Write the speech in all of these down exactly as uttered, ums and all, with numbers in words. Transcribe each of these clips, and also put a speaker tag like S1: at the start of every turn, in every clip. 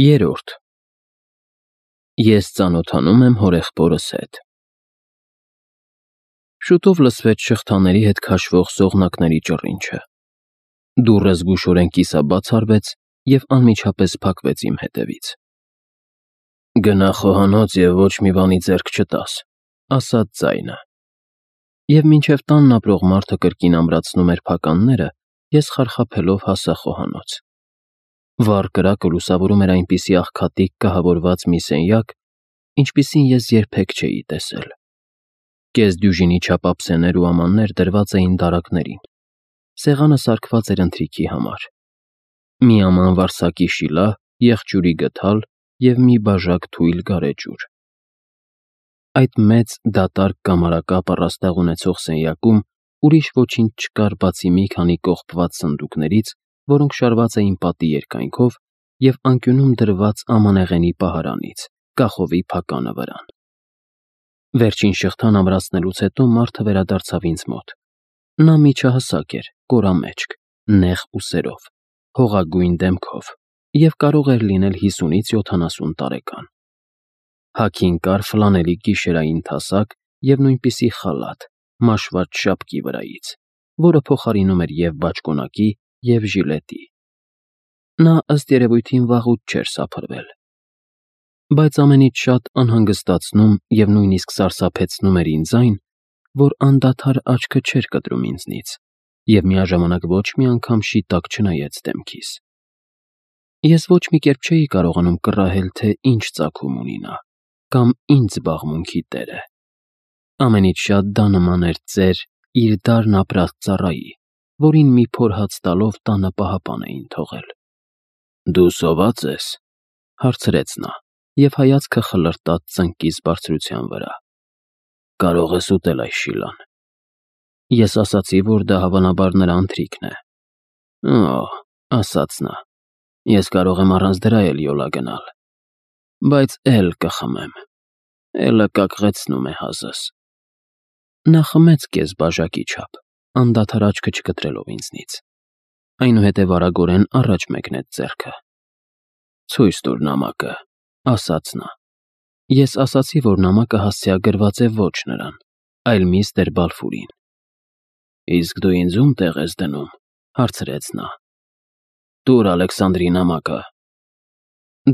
S1: Երորդ Ես ծանոթանում եմ հորեղբորս հետ։ Շուտով լսվեց շղթաների հետ քաշվող սողնակների ճռինչը։ Դուռը զգուշորեն կիսաբաց արվեց և անմիջապես փակվեց իմ հետևից։ «Գնա խոհանոց և ոչ մի բանի ձեռք չտաս», ասաց ձայնը։ Եվ մինչև տանն ապրող մարդը կրկին ամրացնում էր փականները, ես խարխափելով հասա խոհանոց։ Վառ կրակը լուսավորում էր այնպիսի աղքատիկ կահավորված մի սենյակ, ինչպիսին ես երբեք չէի տեսել։ Կես դյուժինի չափ ափսեներ ու ամաններ դրված էին դարակներին։ Սեղանը սարքված էր ընթրիքի համար։ Մի աման վարսակի շիլա, եղջյուրի գդալ և մի բաժակ թույլ գարեջուր։ Այդ մեծ, դատարկ կամարակապ առաստաղ ունեցող սենյակում ուրիշ ոչինչ չկար, բացի մի քանի կողպված սնդուկներից, որոնք շարված էին պատի երկայնքով, և անկյունում դրված ամանեղենի պահարանից, կախովի փականը վրան։ Վերջին շղթան ամրացնելուց հետո մարդը վերադարձավ ինձ մոտ։ Նա միջահասակ էր, կորամեջք, նեղ ուսերով, հողագույն դեմքով և կարող էր լինել հիսունից յոթանասուն տարեկան։ Հագին կար ֆլանելի գիշերային թասակ և նույնպիսի խալաթ՝ մաշված շապկի վրայից, որը փոխարինում էր և բաճկոնակի, և ժիլետի։ Նա, ըստ երևույթին, վաղուց չէր սափրվել։ Բայց ամենից շատ անհանգստացնում և նույնիսկ սարսափեցնում էր ինձ այն, որ անդադար աչքը չէր կտրում ինձնից և միաժամանակ ոչ մի անգամ շիտակ չնայեց դեմքիս։ Ես ոչ մի կերպ չէի կարողանում կռահել, թե ինչ ծագում ունի նա, կամ ինչ զբաղմունքի տեր է։ Ամենից շատ դա նման էր ծեր, իր դարն ապրած ծառայի, որին մի փոր հաց տալով տանը պահապան էին թողել։ «Դու սովա՞ծ ես», հարցրեց նա, և հայացքը խլրտաց ծնկիս բարձրության վրա։ «Կարո՞ղ ես ուտել այս շիլան»։ Ես ասացի, որ դա հավանաբար նրա ընթրիքն է։ «Օ՜», ասաց նա, «ես կարող եմ առանց դրա էլ յոլա գնալ, բայց էլ կխմեմ, էլը կակղեցնում է հազս»։ Նա խմեց կես բաժակի չափ, անդադար աչքը չկտրելով ինձնից, այնուհետև արագորեն առաջ մեկնեց ձեռքը։ «Ցույց տուր նամակը», ասաց նա։ Ես ասացի, որ նամակը հասցեագրված է ոչ նրան, այլ միստր Բալֆուրին։ «Իսկ դու ինձ ո՞ւմ տեղ ես դնում», հարցրեց նա։ «Տուր Ալեքսանդրի նամակը»։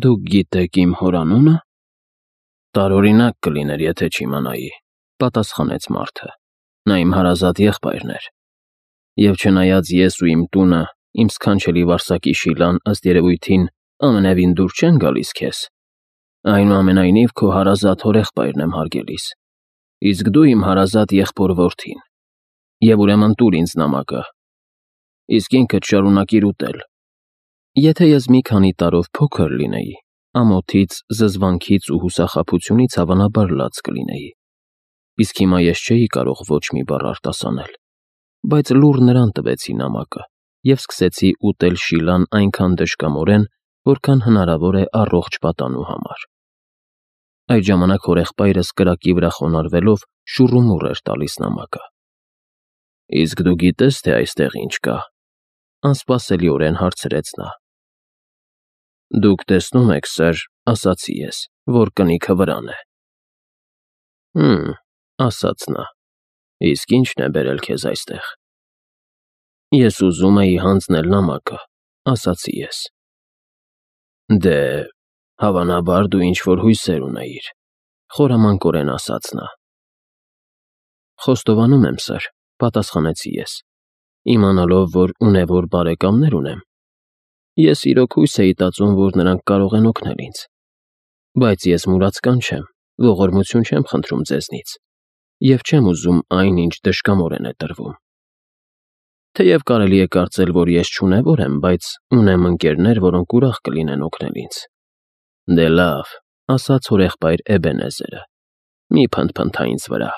S1: «Դուք գիտեք իմ հոր անունը»։ «Տարօրինակ կլիներ, եթե չիմանայի», պատասխանեց մարդը։ «Նա իմ հարազատ եղբայրն էր, և չնայած ես ու իմ տունը, իմ սքանչելի վարսակի շիլան, ըստ երևույթին, ամենևին դուր չեն գալիս քեզ, այնուամենայնիվ քո հարազատ հորեղբայրն եմ հարգելիս, իսկ դու իմ հարազատ եղբոր որդին, և ուրեմն տուր ինձ նամակը, իսկ ինքդ շարունակիր ուտել»։ Եթե ես մի քանի տարով փոքր լինեի, ամոթից, զզվանքից ու հուսախաբությունից հավանաբար լաց կլինեի, իսկ հիմա ես չէի կարող ոչ մի բառ արտասանել, բայց լուռ նրան տվեցի նամակը և սկսեցի ուտել շիլան այնքան դժկամորեն, որքան հնարավոր է առողջ պատանու համար։ Այդ ժամանակ հորեղբայրս կրակի վրա խոնարհվելով շուռումուռ էր տալիս նամակը։ «Իսկ դու գիտե՞ս, թե այստեղ ինչ կա», անսպասելիորեն հարցրեց նա։ «Դուք տեսնում եք, սըր», ասացի ես, «որ կնիքը վրան է»։ «Հը՛մ», ասաց նա, «իսկ ի՞նչն է բերել քեզ այստեղ»։ «Ես ուզում էի հանձնել նամակը», ասացի ես։ «Դե, հավանաբար դու ինչ֊որ հույսեր ունեիր», խորամանկորեն ասաց նա։ «Խոստովանում եմ, սըր», պատասխանեցի ես, իմանալով, որ ունևոր բարեկամներ ունեմ։ Ես իրոք հույս էի տածում, որ նրանք կարող են օգնել ինձ։ Բայց ես մուրացկան չեմ, ողորմություն չեմ խնդրում ձեզնից, և չեմ ուզում այն, ինչ դժկամորեն է տրվում։ Թեև կարելի է կարծել, որ ես չունևոր եմ, բայց ունեմ ընկերներ, որոնք ուրախ կլինեն օգնել ինձ։ Դե լավ, ասաց հորեղբայր Էբենեզերը, մի փնթփնթա ինձ վրա,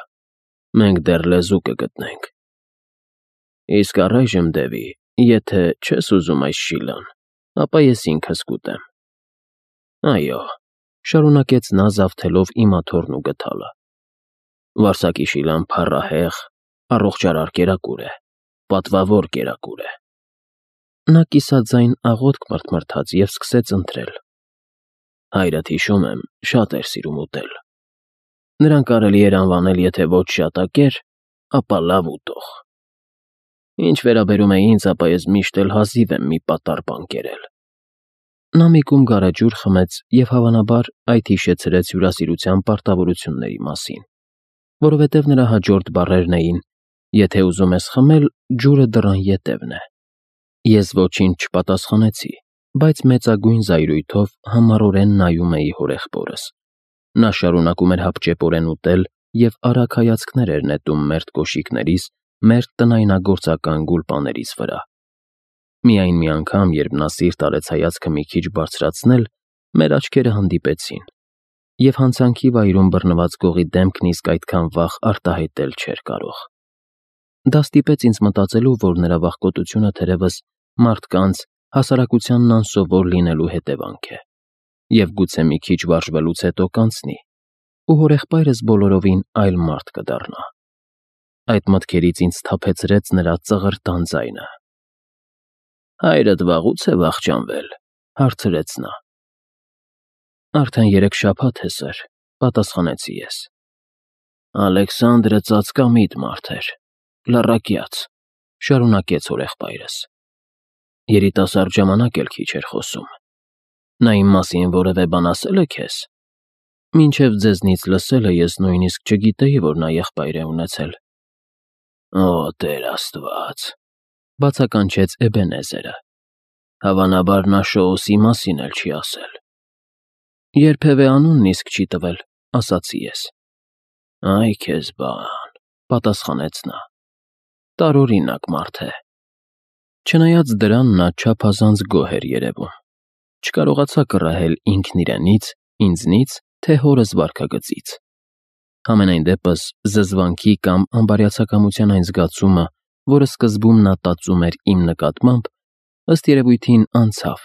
S1: մենք դեռ լեզու կգտնենք։ Իսկ առայժմ, Դևի, եթե չես ուզում այս շիլան, ապա ես ինքս կուտեմ։ Այո, շարունակեց նա զավթելով իմ աթոռն ու գդալը, վարսակի շիլան փառահեղ, առողջարար կերակուր է, պատվավոր կերակուր է։ Նա կիսաձայն աղոթք մրթմրթաց և սկսեց ընթրել։ Հայրդ հիշում եմ, շատ էր սիրում ուտել։ Նրան կարելի էր անվանել, եթե ոչ շատակեր, ապա լավ ուտող։ Ինչ վերաբերում է ինձ, ապա ես միշտ էլ հազիվ եմ մի պատառ բան կերել։ Նա մի կում գարեջուր խմեց և հավանաբար այդ հիշեցրեց հյուրասիրության պարտավորությունների մասին, որովհետև նրա հաջորդ բառերն էին. «Եթե ուզում ես խմել, ջուրը դռան ետևն է»։ Ես ոչինչ չպատասխանեցի, բայց մեծագույն զայրույթով համառորեն նայում էի հորեղբորս։ Նա շարունակում էր հապճեպորեն ուտել և արագ հայացքներ էր նետում մերթ կոշիկներիս, մերթ տնայնագործական գուլպաներիս վրա։ Միայն մի անգամ, երբ նա սիրտ արեց հայացքը մի քիչ բարձրացնել, մեր աչքերը հանդիպեցին, և հանցանքի վայրում բռնված գողի դեմքն իսկ այդքան վաղ արտահայտել չէր կարող։ Դա ստիպեց ինձ մտածելու, որ նրա վախկոտությունը թերևս մարդկանց հասարակությանն անսովոր լինելու հետևանք է, և գուցե մի քիչ վարժվելուց հետո կանցնի, ու հորեղբայրս բոլորովին այլ մարդ կդառնա։ Այդ մտքերից ինձ սթափեցրեց նրա ծղրտան ձայնը։ «Հայրդ վաղուց է վախճանվել», հարցրեց նա։ «Արդեն երեք շաբաթ է, սըր», պատասխանեցի ես։ «Ալեքսանդրը ծածկամիտ մարդ էր, լռակյաց», շարունակեց հորեղբայրս։ «Երիտասարդ ժամանակ էլ քիչ էր խոսում։ Նա իմ մասին որևէ բան ասել է քեզ։ Մինչև ձեզնից լսելը ես նույնիսկ չգիտեի, որ նա եղբայր է ունեցել»։ «Օ, Տեր Աստված», բացականչեց Էբենեզերը։ «Հավանաբար նա Շոուսի մասին էլ չի ասել»։ «Երբևէ անունն իսկ չի տվել», ասացի ես։ «Այ քեզ բան», պատասխանեց նա։ «Տարօրինակ մարդ է»։ Չնայած դրան, նա չափազանց գոհ էր երևում։ Չկարողացա կռահել ինքն իրենից, ինձնից, թե հորս վարքագծից։ Համենայն դեպս, զզվանքի կամ անբարյացակամության այն զգացումը, որը սկզբում նա տածում էր իմ նկատմամբ, ըստ երևույթին անցավ,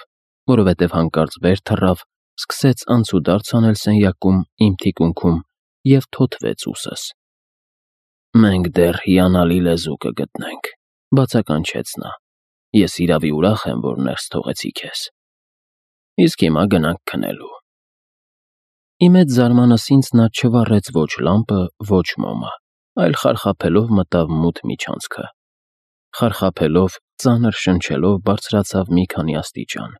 S1: որովհետև հանկարծ վեր թռավ, սկսեց անցուդարձ անել սենյակում, իմ թիկունքում և թոթվեց ուսս։ «Մենք դեռ հիանալի լեզու կգտնենք», բացականչեց նա։ «Ես իրավի ուրախ եմ, որ ներս թողեցի քեզ։ Իսկ հիմա գնանք քնելու»։ Ի մեծ զարմանս ինձ նա չվառեց ոչ լամպը, ոչ մոմը, այլ խարխափելով մտավ մութ միջանցքը։ Խարխափելով, ծանր շնչելով բարձրացավ մի քանի աստիճան,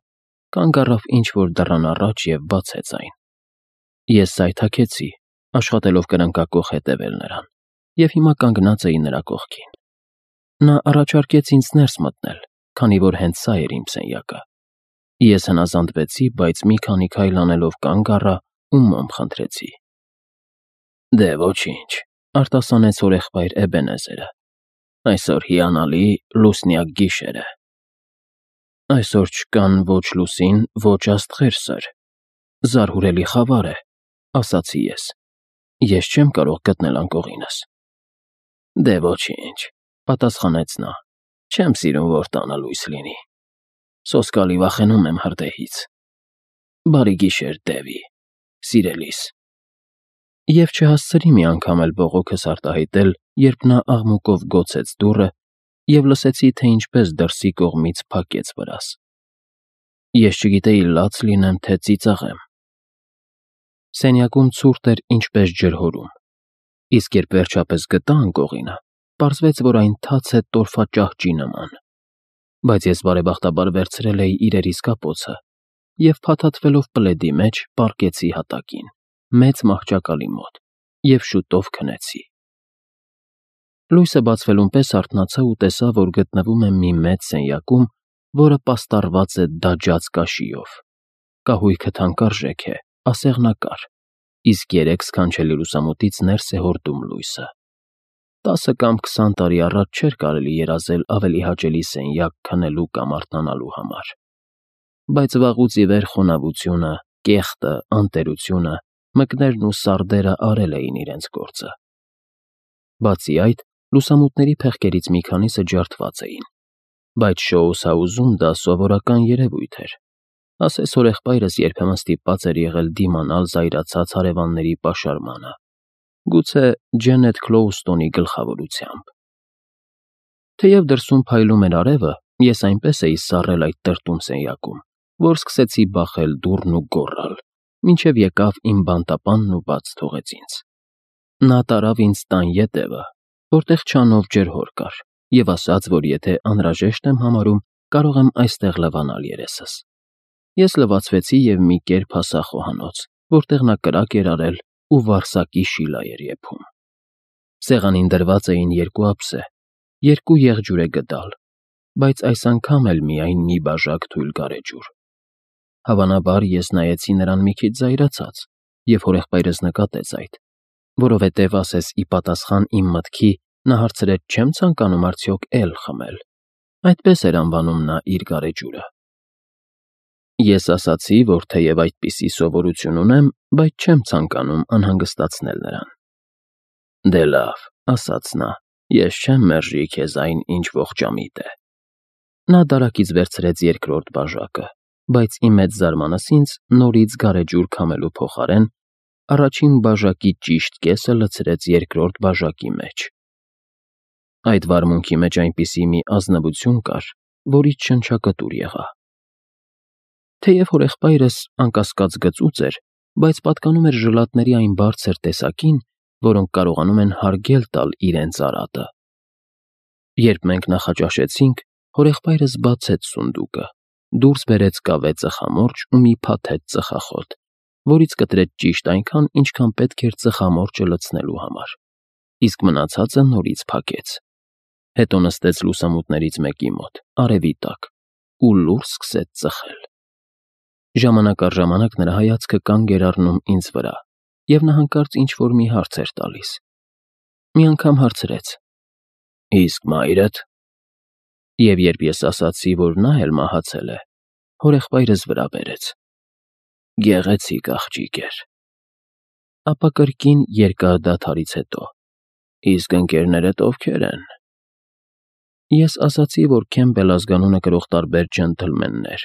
S1: կանգ առավ ինչ-որ դռան առաջ և բացեց այն։ Ես սայթաքեցի, աշխատելով կրնկակոխ հետևել նրան, և հիմա կանգնած էի նրա կողքին։ Նա առաջարկեց ինձ ներս մտնել, քանի որ հենց սա էր իմ սենյակը։ Ես հնազանդվեցի, բայց մի քանի քայլ անելով կանգ առա ու մոմ խնդրեցի։ «Դե ոչինչ», արտասանեց հորեղբայր Էբենեզերը։ «Այսօր հիանալի լուսնյակ գիշեր է»։ «Այսօր չկան ոչ լուսին, ոչ աստղեր, սըր։ Զարհուրելի խավար է», ասացի ես։ «Ես չեմ կարող գտնել անկողինս»։ «Դե ոչինչ», պատասխանեց նա։ «Չեմ սիրում, որ տանը լույս լինի։ Սոսկալի վախենում եմ հրդեհից։ Բարի գիշեր, Դևի, սիրելիս»։ Եվ չհասցրի մի անգամ էլ բողոքս արտահայտել, երբ նա աղմուկով գոցեց դուռը, և լսեցի, թե ինչպես դրսի կողմից փակեց վրաս։ Ես չգիտեի լաց լինեմ, թե ծիծաղեմ։ Սենյակում ցուրտ էր ինչպես ջրհորում, իսկ երբ վերջապես գտա անկողինը, պարզվեց, որ այն թաց է տորֆաճահճի նման։ Բայց ես բարեբախտաբար վերցրել էի իրերիս կապոցը և, փաթաթվելով պլեդի մեջ, պառկեցի հատակին, մեծ մահճակալի մոտ, և շուտով քնեցի։ Լույսը բացվելուն պես արթնացա ու տեսա, որ գտնվում եմ մի մեծ սենյակում, որը պաստառված է դաջած կաշիով։ Կահույքը թանկարժեք է, ասեղնակար, իսկ երեք սքանչելի լուսամուտից ներս է հորդում լույսը։ Տասը կամ քսան տարի առաջ չէր կարելի երազել ավելի հաճելի սենյակ քնելու կամ արթնանալու համար։ Բայց վաղուց ի վեր խոնավությունը, կեղտը, անտերությունը, մկներն ու սարդերը արել էին իրենց գործը։ Բացի այդ, լուսամուտների փեղկերից մի քանիսը ջարդված էին, բայց Շոուս Հաուզում դա սովորական երևույթ էր։ Ասես հորեղբայրս երբեմն ստիպված էր եղել դիմանալ զայրացած հարևանների պաշարմանը, գուցե Ջենեթ Քլոուստոնի գլխավորությամբ։ Թեև դրսում փայլում էր արևը, ես այնպես էի սառել այդ տրտում սենյակում, որ սկսեցի բախել դուռն ու գոռալ. մինչև եկավ իմ բանտապանն ու բաց թողեց ինձ։ Նա տարավ ինձ տան ետևը, որտեղ չանով ջրհոր կար, և ասաց, որ եթե անհրաժեշտ եմ համարում, կարող եմ այստեղ լվանալ երեսս։ Ես լվացվեցի և մի կերպ հասա խոհանոց, որտեղ նա կրակ էր արել ու վարսակի շիլա էր եփում։ Սեղանին դրված էին երկու ափսե, երկու եղջյուրե գդալ, բայց այս անգամ էլ միայն մի բաժակ թույլ գարեջուր։ Հավանաբար ես նայեցի նրան մի քիչ զայրացած, և հորեղբայրս նկատեց այդ, որովհետև ասես ի պատասխան իմ մտքի նա հարցրեց չեմ ցանկանում արդյոք էլ խմել, այդպես էր անվանում նա իր գարեջուրը։ Ես ասացի, որ թեև այդպիսի սովորություն ունեմ, բայց չեմ ցանկանում անհանգստացնել նրան։ Դե լավ, ասաց նա, ես չեմ մերժի քեզ այն, ինչ ողջամիտ է։ Նա դարակից վերցրեց երկրորդ բաժակը, բայց ի մեծ զարմանս ինձ նորից գարեջուր քամելու փոխարեն առաջին բաժակի ճիշտ կեսը լցրեց երկրորդ բաժակի մեջ։ Այդ վարմունքի մեջ այնպիսի մի ազնվություն կար, որից շնչակտուր եղա։ Թեև հորեղբայրս անկասկած գծուծ էր, բայց պատկանում էր ժլատների այն բարձր տեսակին, որոնք կարողանում են հարգել տալ իրենց արատը։ Երբ մենք նախաճաշեցինք, հորեղբայրս բացեց սունդուկը, դուրս բերեց կավե ծխամորճ ու մի փաթեթ ծխախոտ, որից կտրեց ճիշտ այնքան, ինչքան պետք էր ծխամորճը լցնելու համար, իսկ մնացածը նորից փակեց։ Հետո նստեց լուսամուտներից մեկի մոտ, արևի տակ, ու լուռ սկսեց ծխել։ Ժամանակ առ ժամանակ նրա հայացքը կանգ էր առնում ինձ վրա, և նա հանկարծ ինչ-որ մի հարց էր տալիս։ Մի անգամ հարցրեց. Իսկ մայրդ։ Եվ երբ ես ասացի, որ նա էլ մահացել է, հորեղբայրս վրա բերեց։ Գեղեցիկ աղջիկ էր։ Ապա կրկին երկար դադարից հետո. Իսկ ընկերներդ ովքեր են։ Ես ասացի, որ Քեմբել ազգանունը կրող տարբեր ջենթլմեններ,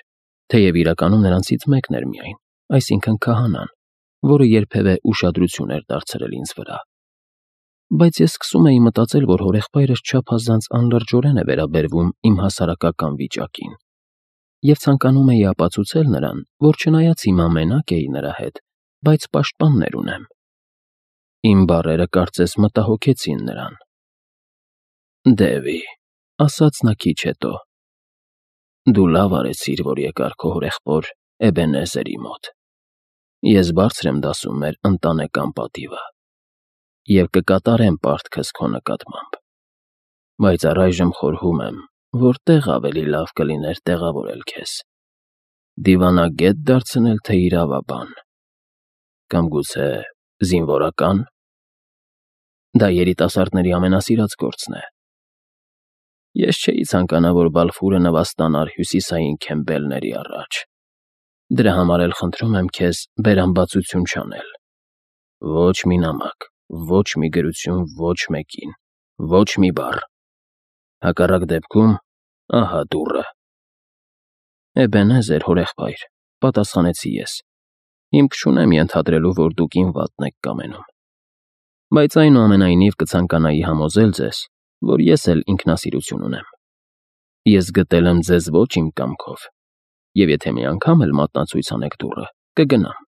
S1: թեև իրականում նրանցից մեկն էր միայն, այսինքն քահանան, որը երբևէ ուշադրություն էր դարձրել ինձ վրա։ Բայց ես սկսում էի մտածել, որ հորեղբայրս չափազանց անլրջորեն է վերաբերվում իմ հասարակական վիճակին, և ցանկանում էի ապացուցել նրան, որ չնայած հիմա մենակ էի նրա հետ, բայց պաշտպաններ ունեմ։ Իմ բառերը կարծես մտահոգեցին նրան։ Դևի, ասաց նա քիչ հետո, դու լավ արեցիր, որ եկար քո հորեղբոր Էբենեզերի մոտ։ Ես բարձր եմ դասում մեր ընտանեկան պատիվը և կկատարեմ պարտքս քո նկատմամբ, բայց առայժմ խորհում եմ, որտեղ ավելի լավ կլիներ տեղավորել քեզ. դիվանագետ դարձնել, թե իրավաբան, կամ գուցե զինվորական։ Դա երիտասարդների ամենասիրած գործն է։ Ես չէի ցանկանա, որ Բալֆուրը նվաստանար հյուսիսային Քեմբելների առաջ։ Դրա համար էլ խնդրում եմ քեզ բերամբացություն չանել։ Ոչ մի նամակ, ոչ մի գրություն ոչ մեկին, ոչ մի բառ։ Հակառակ դեպքում, ահա դուռը։ Էբենեզեր, հորեղբայր, պատասխանեցի ես։ Հիմք չունեմ ենթադրելու, որ դուք իմ վատն եք կամենում։ Բայց այնուամենայնիվ կցանկանայի համոզել ձեզ, որ ես էլ ինքնասիրություն ունեմ։ Ես գտել եմ ձեզ ոչ իմ կամքով, և եթե մի անգամ էլ մատնացույց անեք դուռը, կգնամ։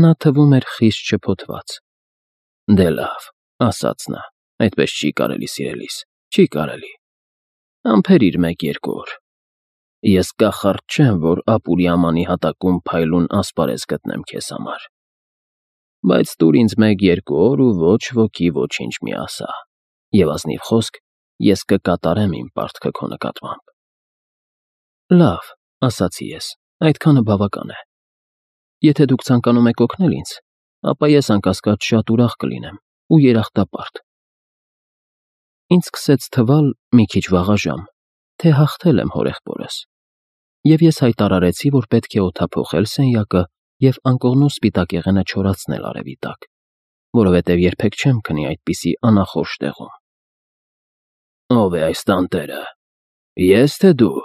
S1: Նա թվում էր խիստ շփոթված։ Դե լավ, ասաց նա, այդպես չի կարելի, սիրելիս, չի կարելի։ Ամփերիր մեկ-երկու օր։ Ես կախարդ չեմ, որ ապուրի ամանի հատակում փայլուն ասպարեզ գտնեմ քեզ համար։ Բայց տուր ինձ մեկ-երկու օր ու ոչ ոքի ոչինչ մի ասա, և ազնիվ խոսք, ես կկատարեմ իմ պարտքը քո նկատմամբ։ Լավ, ասացի ես, այդքանը բավական է։ Եթե դուք ցանկանում եք օգնել ինձ, ապա ես անկասկած շատ ուրախ կլինեմ ու երախտապարտ։ Ինձ սկսեց թվալ մի քիչ վաղաժամ, թե հաղթել եմ հորեղբորս, և ես հայտարարեցի, որ պետք է օդափոխել սենյակը և անկողնու սպիտակեղենը չորացնել արևի տակ, որովհետև երբեք չեմ քնի այդպիսի անախորժ տեղում։ Ո՞վ է այս տանտերը, ես թե դու,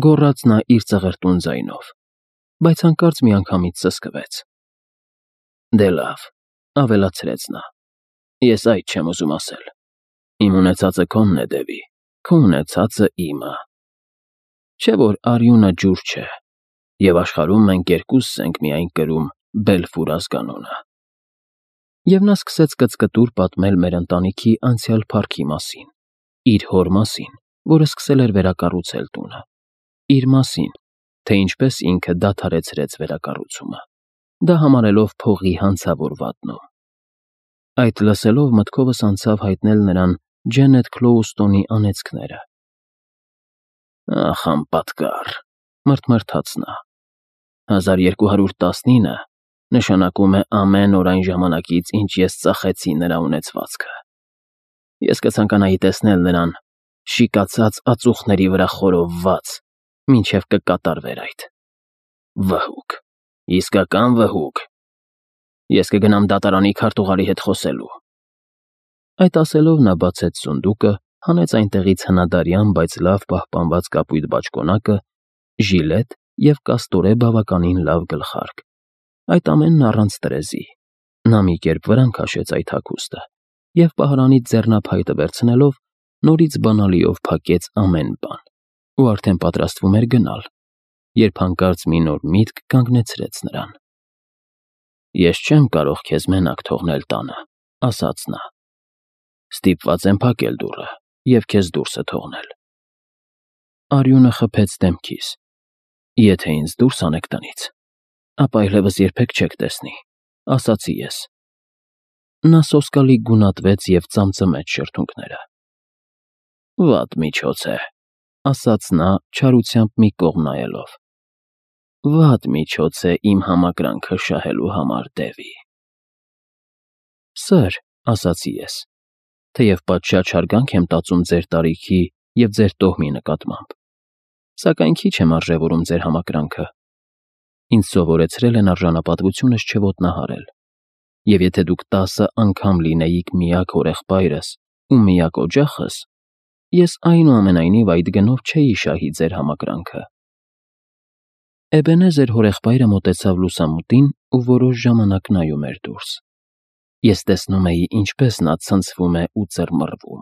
S1: գոռաց նա իր ծղրտուն ձայնով, բայց հանկարծ միանգամից սսկվեց։ Դե լավ, ավելացրեց նա, ես այդ չեմ ուզում ասել։ Իմ ունեցածը քոնն է, Դևի, քո ունեցածը իմը։ Չէ՞ որ արյունը ջուր չէ, Եվ աշխարհում մենք երկուսս ենք միայն կրում Բելֆուր ազգանունը։ Եվ նա սկսեց կծկտուր պատմել մեր ընտանիքի անցյալ փառքի մասին, իր հոր մասին, որը սկսել էր վերակառուցել տունը, իր մասին, թե ինչպես ինքը դադարեցրեց վերակառուցումը, դա համարելով փողի հանցավոր վատնում։ Այդ լսելով մտքովս անցավ հայտնել նրան Ջենեթ Քլոուստոնի անեծքները։ Ախ, անպատկառ, մռթմռթաց նա։ հազար երկու հարյուր տասնինը նշանակում է ամեն օր այն ժամանակից, ինչ ես ծախեցի նրա ունեցվածքը։ Ես կցանկանայի տեսնել նրան շիկացած ածուխների վրա խորովված, մինչև կկատարվեր այդ։ Վհուկ, իսկական վհուկ։ Ես կգնամ դատարանի քարտուղարի հետ խոսելու։ Այդ ասելով նա բացեց սունդուկը, հանեց այնտեղից հնադարյան, բայց լավ պահպանված կապույտ բաճկոնակը, ժիլետ և կաստորե բավականին լավ գլխարկ, այդ ամենն առանց տրեզի։ Նա մի կերպ վրան քաշեց այդ հագուստը և պահարանից ձեռնափայտը վերցնելով նորից բանալիով փակեց ամեն բան ու արդեն պատրաստվում էր գնալ, երբ հանկարծ մի նոր միտք կանգնեցրեց նրան։ Ես չեմ կարող քեզ մենակ թողնել տանը, ասաց նա։ Ստիպված եմ փակել դուռը և քեզ դուրսը թողնել։ Արյունը խփեց դեմքիս։ Եթե ինձ դուրս անեք տնից, ապա այլևս երբեք չեք տեսնի, ասացի ես։ Նա սոսկալի գունատվեց և ծամծմեց շրթունքները։ Վատ միջոց է, ասաց նա չարությամբ մի կողմ նայելով։ Վատ միջոց է իմ համակրանքը շահելու համար, Դևի։ Սըր, ասացի ես, թեև պատշաճ հարգանք եմ տածում ձեր տարիքի և ձեր տոհմի նկատմամբ, սակայն քիչ եմ արժևորում ձեր համակրանքը։ Ինձ սովորեցրել են արժանապատվությունս չոտնահարել, և եթե դուք տասը անգամ լինեիք միակ հորեղբայրս ու միակ օջախս, ես այնուամենայնիվ այդ գնով չէի շահի ձեր համակրանքը։ Էբենեզեր հորեղբայրը մոտեցավ լուսամուտին ու որոշ ժամանակ նայում էր դուրս։ Ես տեսնում էի, ինչպես նա ցնցվում է ու ծռմռվում,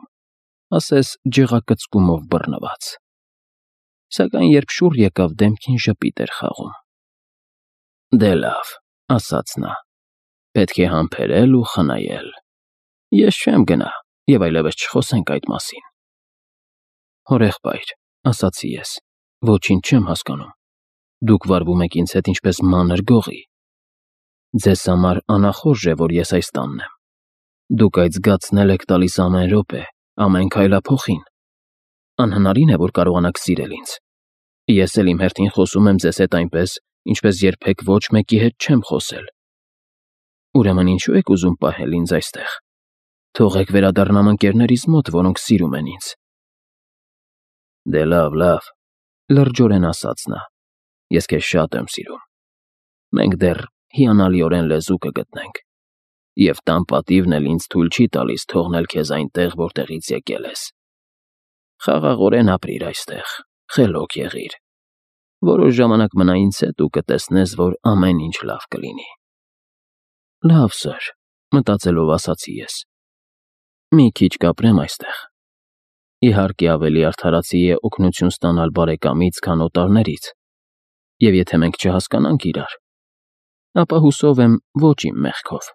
S1: ասես ջղակծկումով բռնված։ Սակայն երբ շուռ եկավ դեմքին, ժպիտ էր խաղում։ Դե լավ, ասաց նա, պետք է համբերել ու խնայել։ Ես չեմ գնա և այլևս չխոսենք այդ մասին։ Հորեղբայր, ասացի ես, ոչինչ չեմ հասկանում։ Դուք վարվում եք ինձ հետ ինչպես մանր գողի։ Ձեզ համար անախորժ է, որ ես այս տանն եմ։ Դուք այդ զգացն եք տալիս ամեն րոպե, ամեն քայլափոխին։ Անհնարին է, որ կարողանաք սիրել ինձ։ Ես էլ իմ հերթին խոսում եմ ձեզ հետ այնպես, ինչպես երբեք ոչ մեկի հետ չեմ խոսել։ Ուրեմն ինչու եք ուզում պահել ինձ այստեղ։ Թողեք վերադառնամ ընկերներիս մոտ, որոնք սիրում են ինձ։ Դե լավ, լավ, լրջորեն ասաց նա։ Ես քեզ շատ եմ սիրում։ Մենք դեռ հիանալիորեն լեզու կգտնենք, և տան պատիվն էլ ինձ թույլ չի տալիս թողնել քեզ այնտեղ, որտեղից եկել ես։ Խաղաղորեն ապրիր այստեղ, խելոք եղիր։ Որոշ ժամանակ մնա ինձ հետ ու կտեսնես, որ ամեն ինչ լավ կլինի։ Լավ, սըր, մտածելով ասացի ես։ Մի քիչ կապրեմ այստեղ։ Իհարկե ավելի արդարացի է օգնություն ստանալ բարեկամից, քան օտարներից, և եթե մենք չհասկանանք իրար, ապա հուսով եմ ոչ իմ մեղքով։